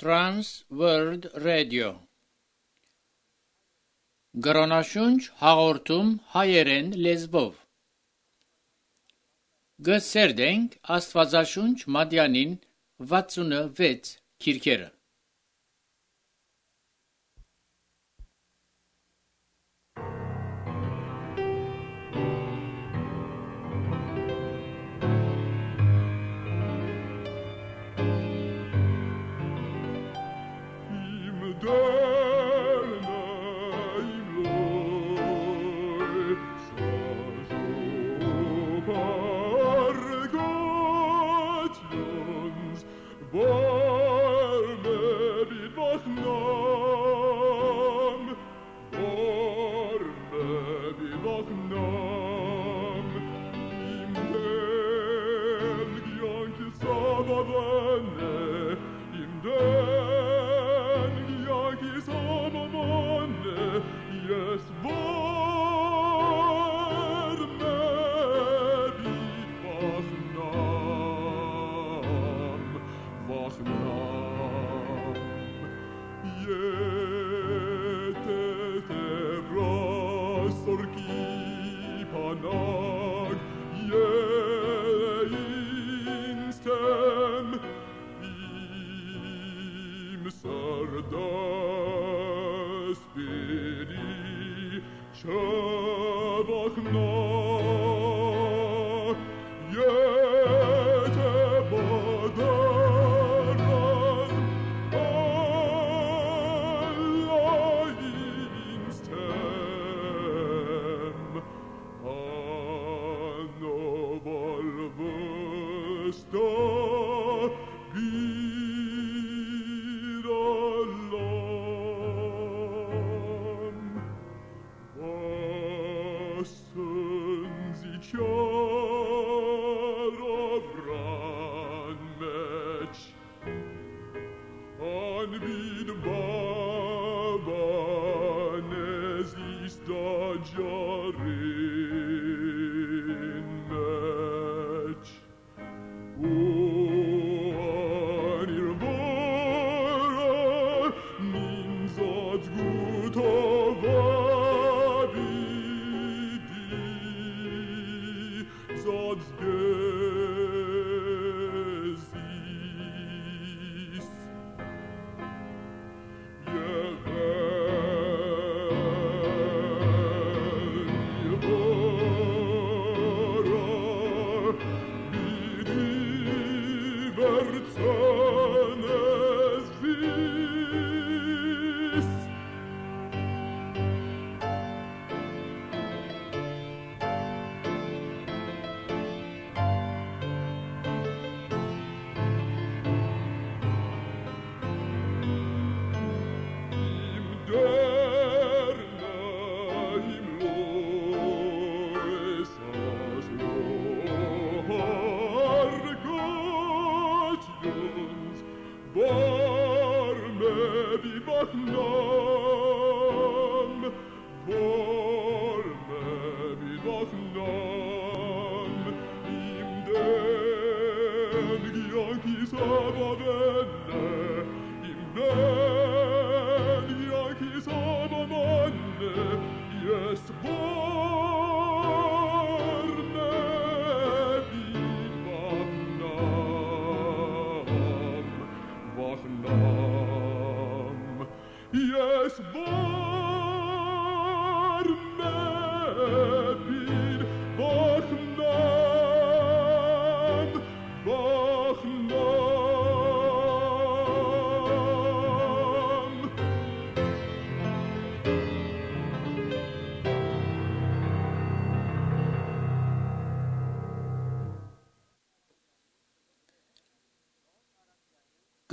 Trans World Radio Գրոնաշունչ հաղորդում հայերեն լեզվով Գսերդենք Աստվածաշունչ Մատյանին 66 քիրքերը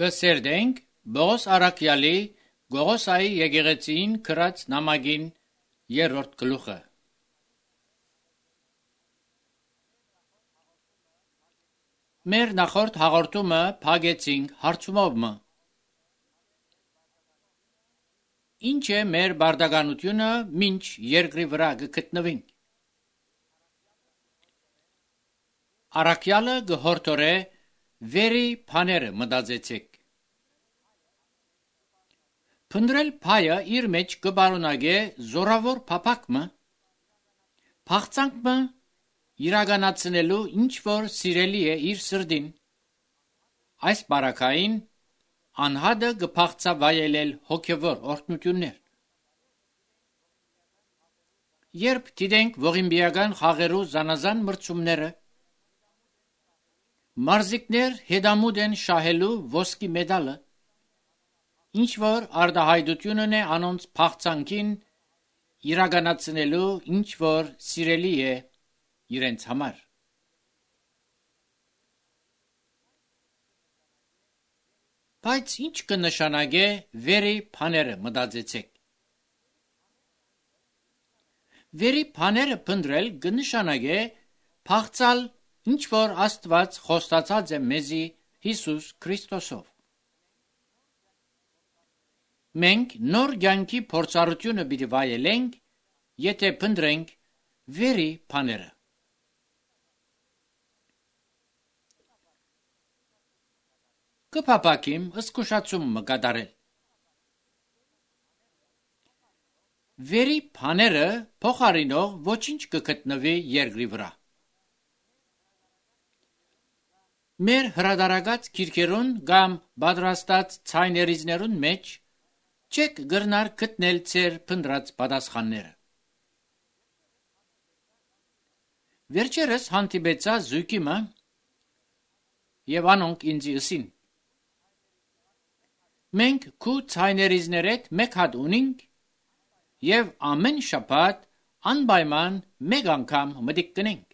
Գսերդենք Բողոս Արաքյալի Գողոսայի եկեղեցին գրած նամակին 3-րդ գլուխը Մեր նախորդ հաղորդումը փակեցինք հարցումով Ինչ է մեր բարդականությունը մինչ երկրի վրա գտնվենք Արաքյալը գհորտորե վերի բաները մտածեցեք Փնդրել փայը իր մեջ կբարունագե զորավոր փափակը, փախցանքը իրականացնելու ինչ որ սիրելի է իր սրդին, այս բարակային անհադը կփախցա վայելել հոգևոր օրհնություններ։ Երբ դիտենք ողիմբիական խաղերու զանազան մրցումները, մարզիկներ հետամուտ են շահելու ոսկի մեդալը, ինչ որ արտահայտությունն է անոնց փախցանքին իրականացնելու ինչ որ սիրելի է իրենց համար։ Բայց ինչ կնշանակե վերի բաները մտածեցեք։ Վերի բաները փնտրել կնշանակե փախցալ ինչ որ Աստված խոստացած է մեզի Հիսուս Քրիստոսով։ Մենք նոր կյանքի փորձառությունը պիտի վայելենք, եթե փնտրենք վերի բաները։ Կփափակիմ զսկուշացում մկատարել։ Վերի բաները փոխարինող ոչինչ կգտնվի երկրի վրա։ Մեր հրադարագած քիրքերուն կամ պատրաստած ցայներիզներուն մեջ չեք գրնար գտնել ձեր փնտրած պատասխանները։ Վերջերս հանդիպեցա զույգիմը եւ անոնք ինձ ըսին. Մենք քու ցայներիզներեդ մեկ հատ ունինք եւ ամեն շաբաթ անպայման մեկ անգամ մտիկ կնենք։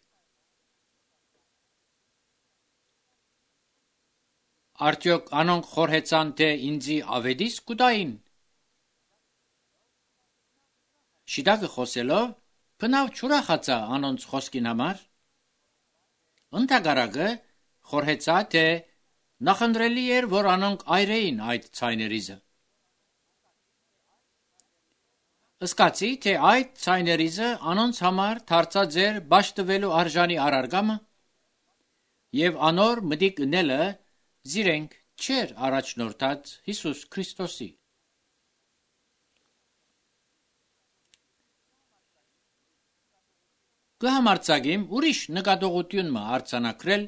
Արդյոք անոնք խորհեցան թե ինձի ավետիս կուտային։ Շիդակը խոսելով բնավ չուրախացա անոնց խոսքին համար։ Ընդհակառակը խորհեցա թե նախընտրելի էր, որ անոնք այրեին այդ ցայներիզը։ Ըսկացի, թե այդ ցայներիզը անոնց համար դարձած էր բաշտվելու արժանի առարգամը եւ անոր մտիկ ընելը զիրենք չեր առաջնորդած Հիսուս Քրիստոսի։ Կհամարցագիմ ուրիշ նկատողություն մը արձանագրել,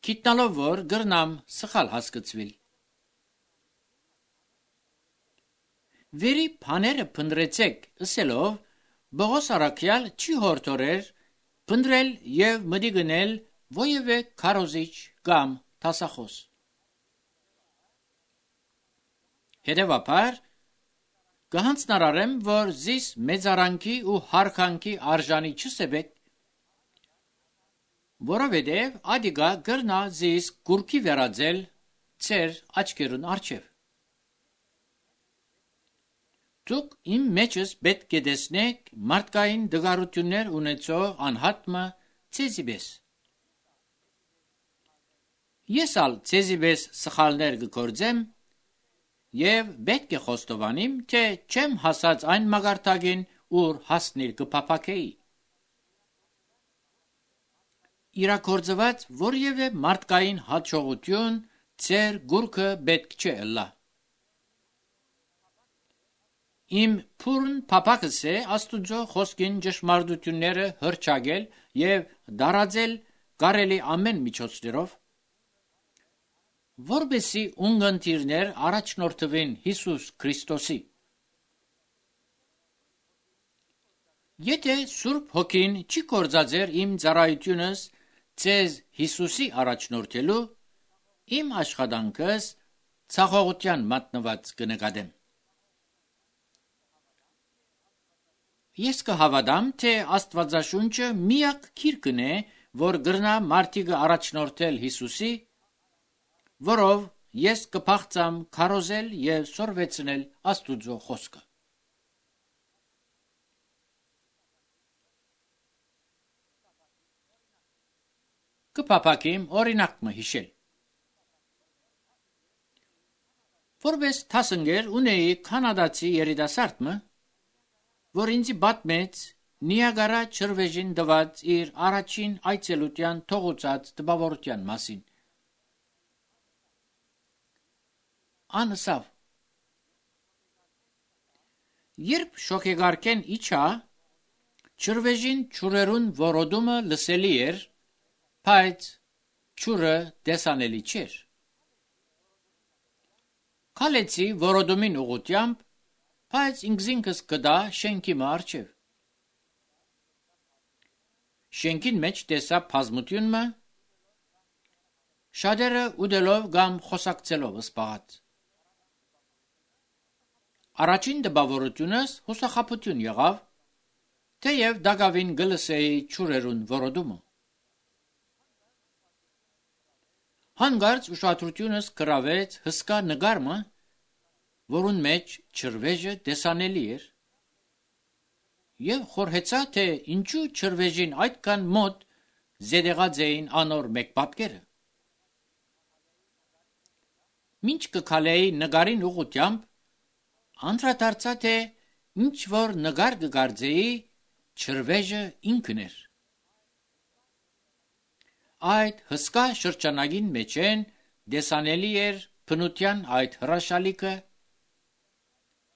գիտնալով որ գրնամ սխալ հասկացվիլ։ Վերի բաները փնտրեցեք ըսելով Բողոս առաքյալ չի հորդորեր փնտրել եւ մտիկ գնել ովևէ քարոզիչ կամ տասախոս։ Հետևաբար կհանձնարարեմ, որ զիս մեծարանքի ու հարկանքի արժանի չսեբեք, որովհետև ադիգա գրնա զիս գուրքի վերածել ծեր աչքերուն արջև։ Դուք իմ մեջս պետք է տեսնեք մարդկային դգարություններ ունեցող անհատմը ցեզիբես։ Ես ալ ցեզիբես սխալներ կգործեմ եւ պետք է խոստովանիմ, թե չեմ հասած այն մագարտագին, ուր հասնել կփափակեի։ Իրակորձված որևէ մարդկային հաջողություն ծեր գուրքը պետք չէ ըլլա։ Իմ փուրն փափակս է Աստուծո խոսքին ճշմարտությունները հրճագել եւ դարաձել կարելի ամեն միջոցներով, որբեսի ունգընտիրներ առաջնորդվին Հիսուս Քրիստոսի։ Եթե Սուրբ Հոգին չի կործածեր իմ ծառայությունս ձեզ Հիսուսի առաջնորդելու, իմ աշխատանքս ցախողության մատնված կնկատեմ։ Ես կհավատամ, թե Աստվածաշունչը միակ քիրքն է, որ գրնա մարդիկը առաջնորդել Հիսուսի, որով ես կփախցամ քարոզել եւ սորվեցնել Աստուծո խոսքը։ Կփափակիմ օրինակ մը հիշել։ Որպես թասնգեր ունեի կանադացի երիտասարդը, որ ինձի պատմեց Նիագարա ջրվեժին դված իր առաջին այցելության թողուցած տպավորության մասին։ Անսավ։ Երբ շոքեգարքեն իջա, ջրվեժին ջուրերուն որոդումը լսելի էր, բայց ջուրը տեսանելի չէր։ Քալեցի որոդումին ուղղությամբ, բայց ինքզինքս կդա շենքի մարջև։ Շենքին մեջ տեսա բազմությունը, շատերը ուդելով կամ խոսակցելով սպաղած։ Առաջին դպավորությունս հուսախաբություն եղավ, թեև դակավին գլսեի ջուրերուն որոդումը։ Հանկարծ ուշադրությունս գրավեց հսկա նկարը, որուն մեջ ջրվեժը տեսանելի էր, եւ խորհեցա, թե ինչու ջրվեժին այդքան մոտ զետեղած էին անոր մեկ պատկերը։ Մինչ կքալեի նկարին ուղղությամբ, անդրադարձա, թե ինչ որ նկար կգարձեի, ջրվեժը ինքն էր։ Այդ հսկա շրջանագին մեջեն տեսանելի էր բնության այդ հրաշալիքը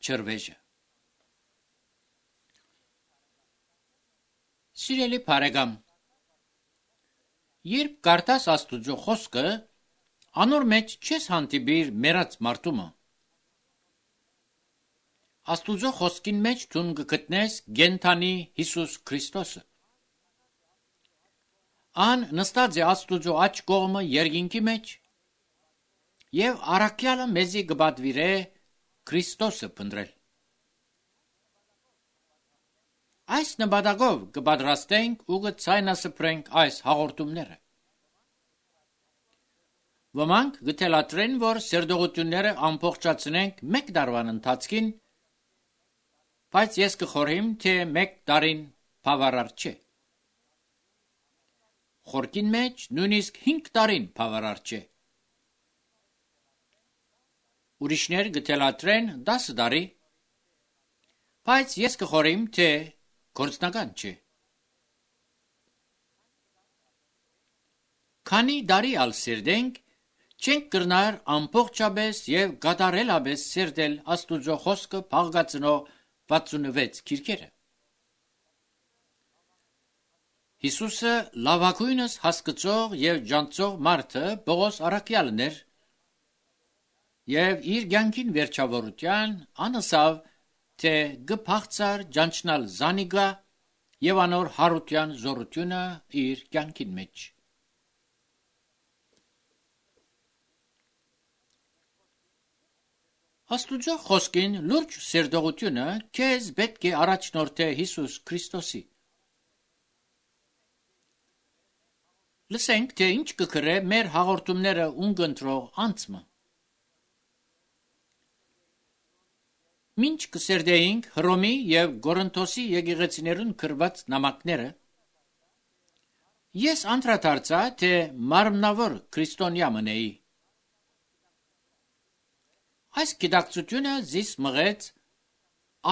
ջրվեժը։ Սիրելի բարեկամ, երբ կարդաս Աստուծո խոսքը, անոր մեջ չես հանդիպիր մեռած մարդումը։ Աստուծո խոսքին մեջ դու կգտնես գենթանի Հիսուս Քրիստոսը։ Ան նստած է Աստուծո աջ կողմը երկինքի մեջ, եւ առաքյալը մեզի կպատվիրե Քրիստոսը փնտրել։ Այս նպատակով կպատրաստենք ու կցայնասփռենք այս հաղորդումները։ Ոմանք կթելադրեն, որ սերտողությունները ամբողջացնենք մեկ տարվան ընթացքին, բայց ես կխորհեմ, թե մեկ տարին բավարար չէ։ Խորքին մեջ նույնիսկ 5 տարին բավարար չէ։ Ուրիշներ կթելադրեն 10 տարի, բայց ես կխորհեմ, թե գործնական չէ։ Քանի տարի ալ սերտենք, չենք կրնար ամբողջապես եւ կատարելապես սերտել Աստուծո խոսքը փաղկացնող 66 քիրքերը։ Հիսուսը լավագույնս հասկացող եւ ջանցող մարդը Պողոս առաքյալն էր, եւ իր կյանքին վերջավորության անասավ, թե գփաղցար ջանչնալ զանիգա եւ անոր հարության զորությունը իր կյանքին մեջ։ Աստուծո խոսքին լուրջ սերտողությունը քեզ պետք է առաջնորդե Հիսուս Քրիստոսի։ Լսենք, թե ինչ կգրե մեր հաղորդումները ունկնդրող անձը։ Մինչ կսերտեինք Հռոմի եւ Կորինթոսի եկեղեցիներուն գրված նամակները, ես անդրադարձա, թե մարմնավոր քրիստոնյա մնեի։ Այս գիտակցությունը զիս մղեց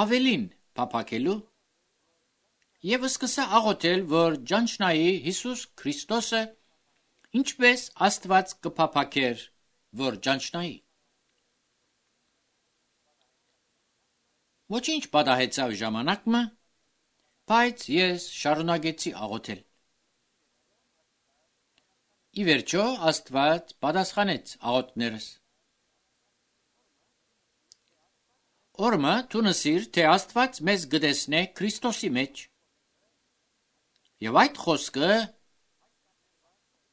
ավելին փափակելու եւ սկսա աղոթել, որ ջանչնայի Հիսուս Քրիստոսը ինչպես Աստված կփափակեր, որ ջանչնայի։ Ոչինչ պատահեցավ ժամանակը, բայց ես շարունակեցի աղոթել։ Ի վերջո Աստված պատասխանեց աղոթքներս։ Օրմը թունսիր, թե Աստված մեզ գտեսնե Քրիստոսի մեջ։ Եվ այդ խոսքը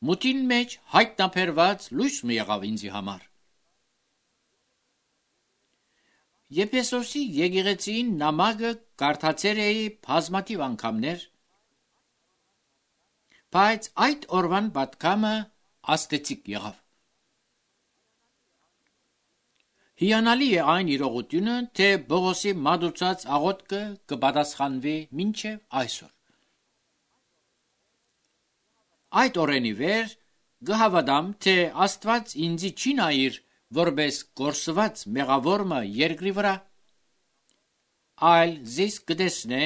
մուտին մեջ հայտնաբերված լույս մի եղավ ինձի համար։ Եփեսոսի եկեղեցին նամակը կարդացել էի բազմաթիվ անգամներ, բայց այդ օրվան պատկամը աստեցիկ եղավ։ Հիանալի է այն իրողությունը, թե Պողոսի մատուցած աղոթքը կպատասխանվի մինչև այսօր։ Այդ օրենի վեր կհավատամ, թե Աստված ինձի չի նայիր որպես գործված մեղավորը երկրի վրա, այլ զիս կտեսնե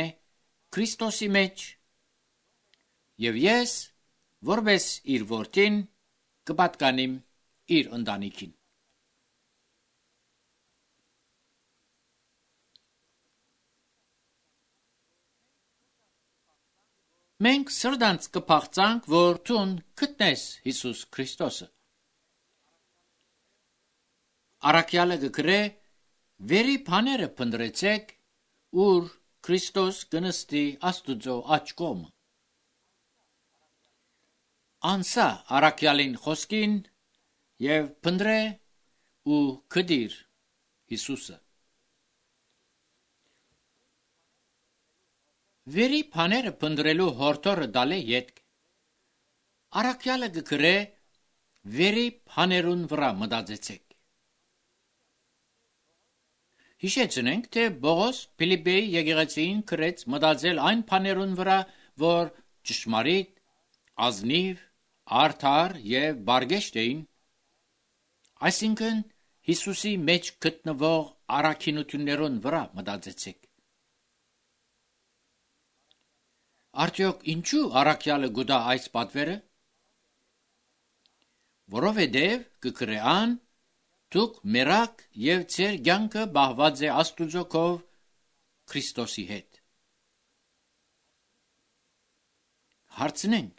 Քրիստոսի մեջ, եւ ես, որպես իր որդին, կպատկանիմ իր ընտանիքին։ Մենք սրտանց կփախծանք, որ դուն գտնես Հիսուս Քրիստոսը։ Առաքյալը գկրե վերի բաները փնտրեցեք, ուր Քրիստոս կնստի Աստուծո աջ կողմը։ Անսա առաքյալին խոսքին եւ փնտրե ու գդիր Հիսուսը։ Վերի բաները փնտրելու հորթորը դալե յետք։ Առաքյալը գկրե վերի բաներուն վրա մտածեցեք։ Հիշեցնենք, թե Բողոս Փիլիպպեի եկեղեցին գրեց մտածել այն բաներուն վրա, որ ճշմարիտ, ազնիվ, արդար եւ բարգեշտ էին, այսինքն Հիսուսի մեջ գտնվող առաքինություններուն վրա մտածեցեք։ Արդյոք ինչու առաքյալը գուտա այս պատվերը։ Որովհետև կգրեան դուք մերակ եւ ձեր կյանքը բահված է Աստուծո կով Քրիստոսի հետ։ Հարցնենք.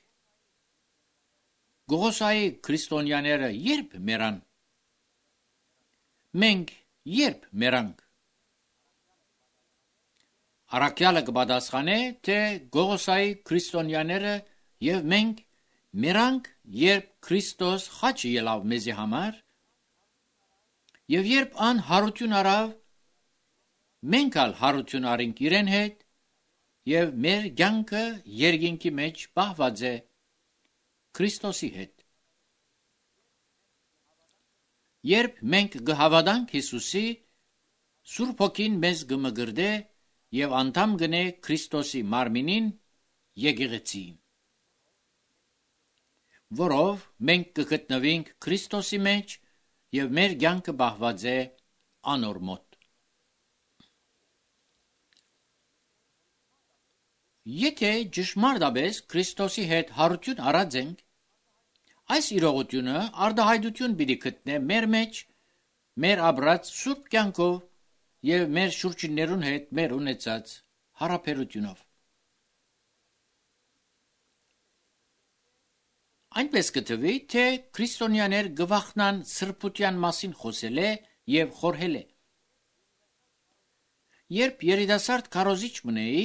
Գողոսայի քրիստոնյաները երբ մեռան։ Մենք երբ մեռանք։ Առաքյալը կպատասխանե, թե Գողոսայի քրիստոնյաները եւ մենք մեռանք, երբ Քրիստոս խաչը ելավ մեզի համար, եւ երբ ան հարություն արավ, մենք ալ հարություն արինք իրեն հետ, եւ մեր կյանքը երկինքի մեջ պահված է Քրիստոսի հետ։ Երբ մենք կհավատանք Հիսուսի, Սուրբ Հոգին մեզ կմգրդե եւ անդամ գնե Քրիստոսի մարմինին եկեղեցին, որով մենք կգտնվենք Քրիստոսի մեջ եւ մեր կյանքը բահված է անոր մոտ։ Եթե ճշմարտաբես Քրիստոսի հետ հարություն արած ենք, այս իրողությունը արդահայտություն պիտի գտնե մեր մեջ, մեր ապրած սուրբ կյանքով եւ մեր շուրջիններուն հետ մեր ունեցած հարաբերությունով։ Այնպես կթվի, թե քրիստոնյաներ գվախնան սրբության մասին խոսել է եւ խորհել է։ Երբ երիտասարդ քարոզիչ մնեի,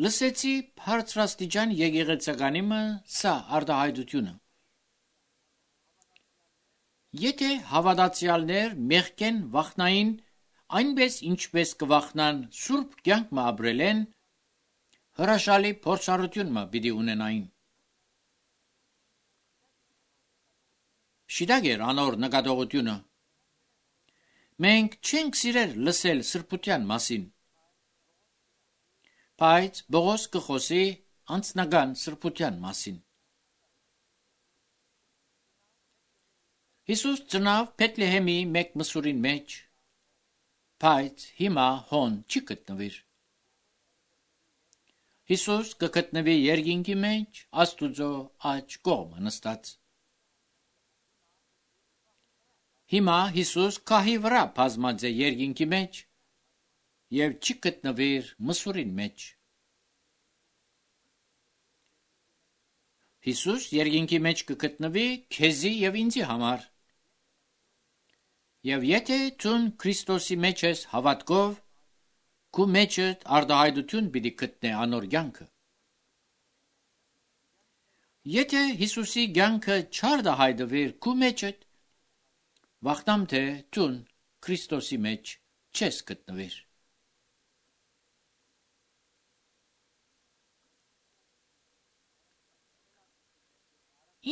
լսեցի բարձրաստիճան եկեղեցականիմը սա արդահայտությունը։ Եթե հավատացյալներ մեղքեն վախնային, այնպես ինչպես կվախնան սուրբ կյանք մը ապրել են, հրաշալի փորձառություն մը պիտի ունենային։ Շիդագեր անոր նկատողությունը։ Մենք չենք սիրել լսել սրբության մասին, բայց Բողոս կխոսի անձնական սրբության մասին։ Հիսուս ծնավ Փեթլեհեմի մեկ մսուրին մեջ, բայց հիմա հոն չի գտնվիր։ Հիսուս կգտնվի երկինքի մեջ Աստուծո աջ կողմը նստած։ Հիմա Հիսուս քահի վրա բազմած է երկինքի մեջ եւ չի գտնվիր մսուրին մեջ։ Հիսուս երկինքի մեջ կգտնվի քեզի եւ ինձի համար։ Եվ եթե ցուն Քրիստոսի մեջ ես հավատքով, քու մեջդ արդահայտություն պիտի գտնե անոր կյանքը։ Եթե Հիսուսի կյանքը չարդահայտվիր քու մեջդ, վախտամ թե ցուն Քրիստոսի մեջ չես գտնվիր։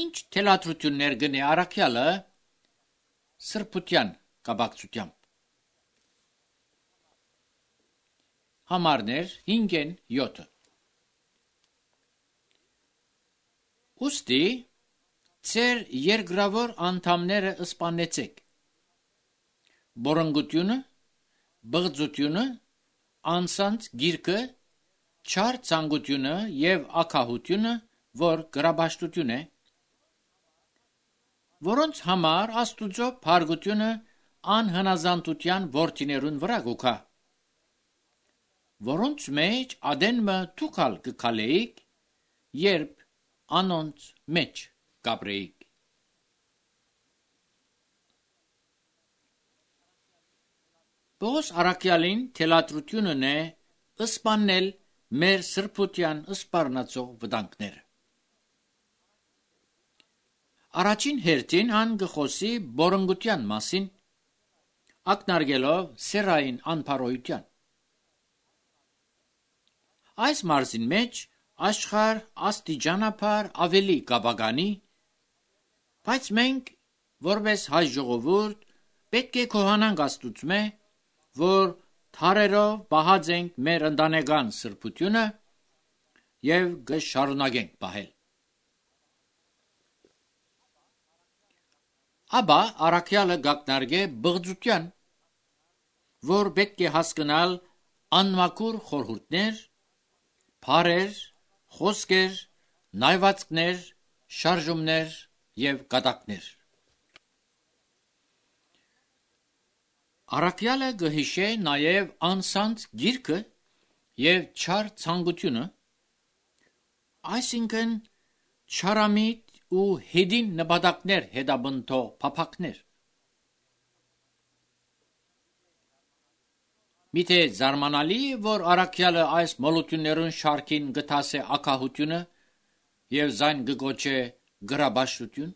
Ինչ թելադրություններ գնե առաքյալը սրբության կապակցությամբ։ Համարներ 5-ն 7։ Ուստի ձեր երկրավոր անդամները սպանեցեք։ Բորոնգությունը, բղծությունը, անսանց գիրկը, չար ցանկությունը եւ ակահությունը, որ գրաբաշտություն է, որոնց համար Աստուծո փարգությունը անհնազանդության որդիներուն վրա գուքա, որոնց մեջ ադենմը թուքալ կքալեիք երբ անոնց մեջ կապրեիք։ Պողոս առաքյալին թելադրությունն է ըսպանել մեր սրբության ըսպառնացող վտանգները։ Առաջին հերթին ան գխոսի բորոնգության մասին, ակնարկելով սերային անփարոյության։ Այս մարզին մեջ աշխարհ աստիճանաբար ավելի կապագանի, բայց մենք որպես հայ ժողովուրդ պետք է քոհանանք Աստուծմե, որ թարերով պահած ենք մեր ընտանեկան սրբությունը եւ կշարունակենք պահել։ Աբա առաքյալը գակնարկե բղծության, որ պետք է հասկանալ անմաքուր խորհուրդներ, փարեր, խոսքեր, նայվածքներ, շարժումներ եւ կատակներ։ Առաքյալը գհիշե նաեւ անսանց գիրքը եւ չար ցանկությունը, այսինքն չարամիտ ու հետին նպատակներ հետաբնթող փափակներ։ Միթե զարմանալի է, որ առաքյալը այս մոլություններուն շարքին գտասե ակահությունը եւ զայն գոչե գրաբաշխություն։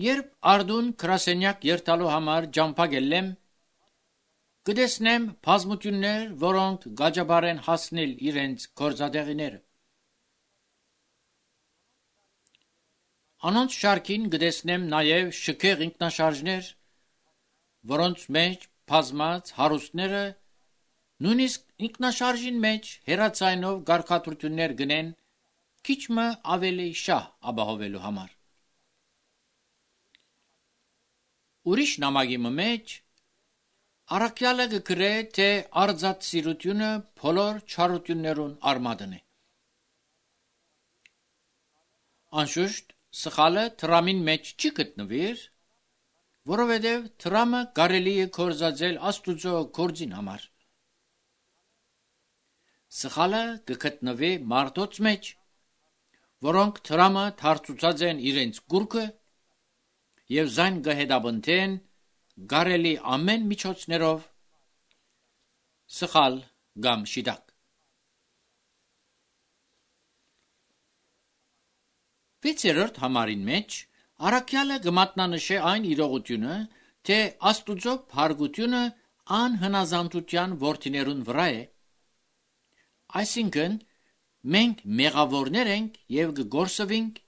Երբ արդուն գրասենյակ երթալու համար ջամփագելեմ, կտեսնեմ բազմություններ, որոնք գաջաբար են հասնել իրենց գործադեղիները։ Անոնց շարքին կտեսնեմ նաեւ շքեղ ինքնաշարժներ, որոնց մեջ բազմած հարուստները նույնիսկ ինքնաշարժին մեջ հերացայնով գարկատուրություններ գնեն քիչմը ավելի շահ ապահովելու համար։ Ուրիշ նամակի մեջ առաքյալը կգրե, թե արձած սիրությունը բոլոր չարություններուն արմատն է։ Անշուշտ սխալը թրամին մեջ չի գտնվիր, որովհետև թրամը կարելի է կործածել Աստուծո գործին համար։ Սխալը կգտնվի մարդոց մեջ, որոնք թրամը թարցուցած են իրենց գուրկը եւ զայն կհետաբնթեն կարելի ամեն միջոցներով սխալ կամ շիտակ։ Վեցերորդ համարին մեջ առաքյալը կմատնանշե այն իրողությունը, թե Աստուծո փարգությունը անհնազանդության որդիներուն վրա է, այսինքն մենք մեղավորներ ենք եւ կգործվենք,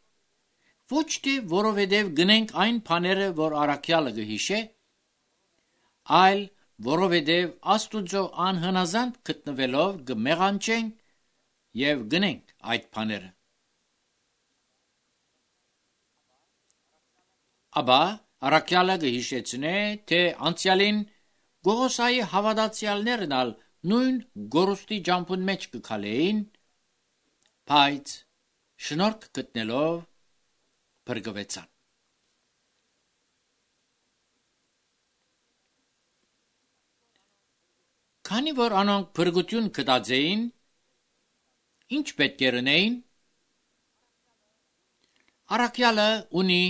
ոչ թե որովհետև գնենք այն բաները, որ առաքյալը կհիշե, այլ որովհետև Աստուծո անհնազանդ գտնվելով կմեղանչենք եւ գնենք այդ բաները։ Աբա առաքյալը կհիշեցնե, թե անցյալին Գողոսայի հավատացյալներն ալ նույն գորուստի ջամփուն մեջ կքալեին, բայց շնորհք գտնելով բրգվեցան։ Քանի որ անոնք բրգություն կտածեին, ինչ պետք է լինեին, առաքյալը ունի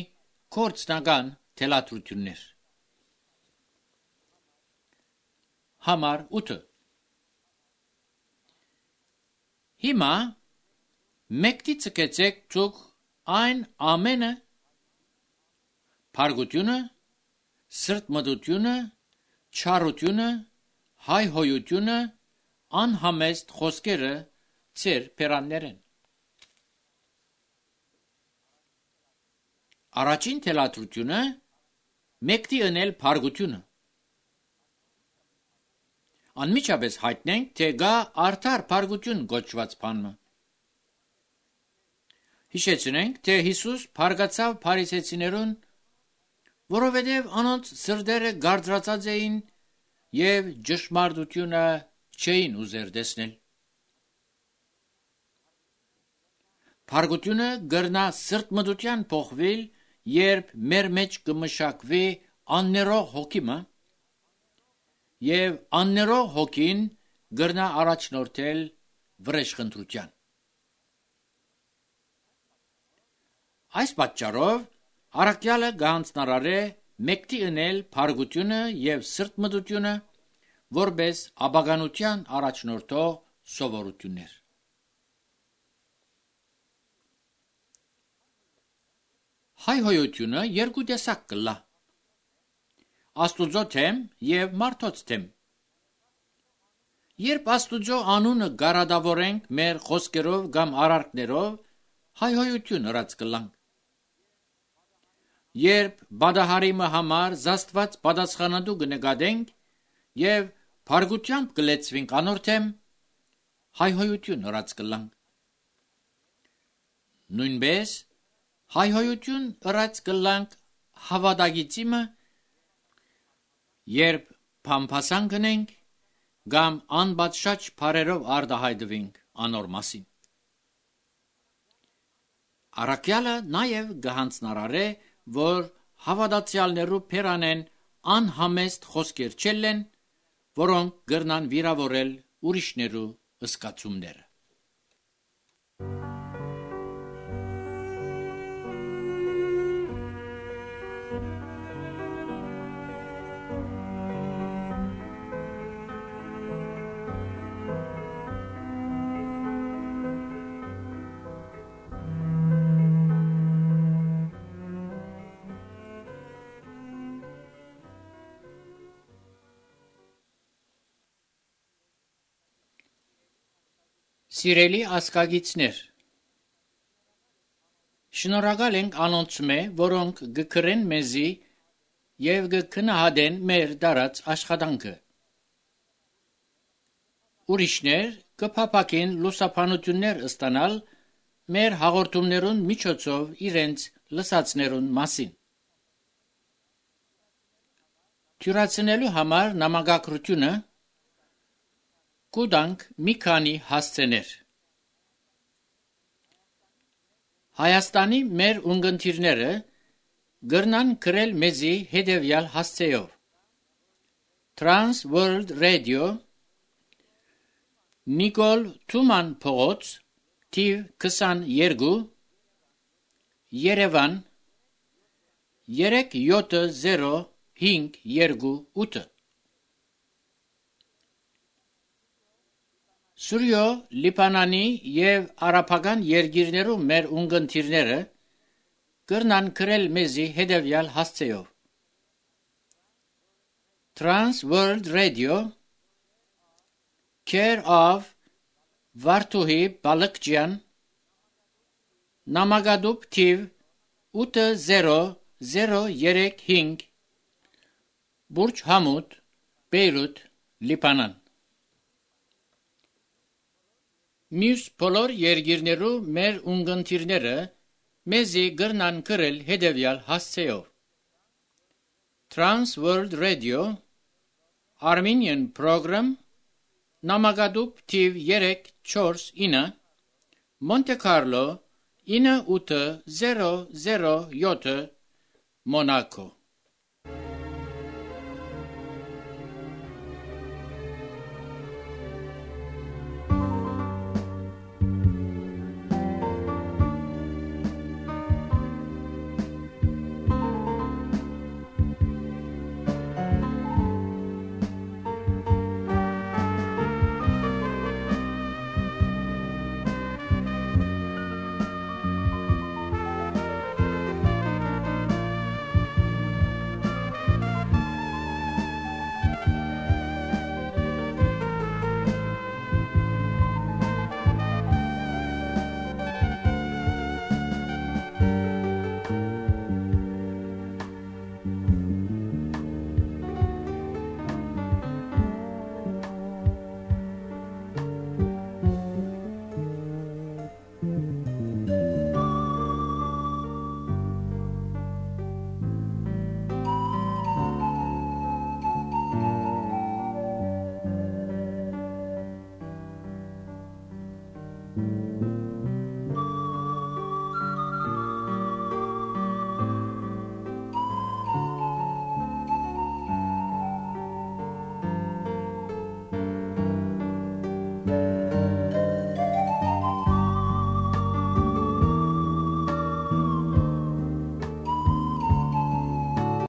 կորցնական թելադրություններ։ Համար 8 Հիմա մեկտի ցկեցեք ցուկ այն ամենը փարգությունը, սրտմտությունը, չարությունը, հայհոյությունը, անհամեստ խոսքերը ծեր պերաններեն։ Առաջին թելադրությունը մեկտի ընել փարգությունը։ Անմիջապես հայտնենք, թե գա արդար փարգություն գոչված բանը։ Հիշեցնենք, թե Հիսուս փարգացավ փարիսեցիներուն, որովհետև անոնց սրտերը գարդրացած էին եւ ճշմարտությունը չէին ուզեր տեսնել։ Փարգությունը գրնա սրտմտության փոխվել, երբ մեր մեջ կմշակվի աններող հոգիմը, եւ աններող հոգին գրնա առաջնորդել վրեժխնդրության։ Այս պատճառով առաքյալը գանձնարարե մեկտի ընել փարգությունը եւ սրտմտությունը որպես աբականության առաջնորդող սովորություններ։ Հայհոյությունը երկու տեսակ կլա. Աստուծո թեմ եւ մարդոց թեմ։ Երբ Աստուծո անունը գարադավորենք մեր խոսքերով կամ արարքներով, հայհոյություն ըրած կլանք։ Երբ բադահարիմը համար զաստված պատասխանատու կնկատենք եւ փարգությամբ կլեցվենք անոր թեմ, հայհոյություն ըրած կլանք։ Նույնպես հայհոյություն ըրած կլանք հավատագիտիմը, երբ փամփասան գնենք կամ անբացշաճ բարերով արտահայտվենք անոր մասին։ Առաքյալը նաև գահանձնարարե, որ հավատացյալներու փերանեն անհամեստ խոսքեր չելեն, որոնք գրնան վիրավորել ուրիշներու ըսկացումները։ Սիրելի ասկագիցներ, շնորհակալ ենք անոնցմե, որոնք գկրեն մեզի եւ գքնահատեն մեր դարած աշխատանքը։ Ուրիշներ կփափակեն լուսապանություններ ստանալ մեր հաղորդումներուն միջոցով իրենց լսածներուն մասին։ Թյուրացնելու համար նամակագրությունը կուտանք մի քանի հասցեներ։ Հայաստանի մեր ունգընտիրները գրնան գրել մեզի հետևյալ հասցեով. Trans World Radio, Նիկոլ Թուման փողոց, թիվ 22, Երևան 37058։ Սուրյո, Լիբանանի եւ արաբական երկիրներու մեր ունգընտիրները կրնան գրել մեզի հետևյալ հասցեով. Trans World Radio, Care of Վարդուհի Բալկջյան, Նամակադուբ թիվ 80035, Բուրջ Համուդ, Բեյրութ, Լիբանան։ Մյուս բոլոր երկիրներու մեր ունգընտիրները մեզի գրնան գրել հետևյալ հասցեով. Trans World Radio, Armenian Program, Նամակադուբ թիվ 349, Monte Carlo 9807, Monaco։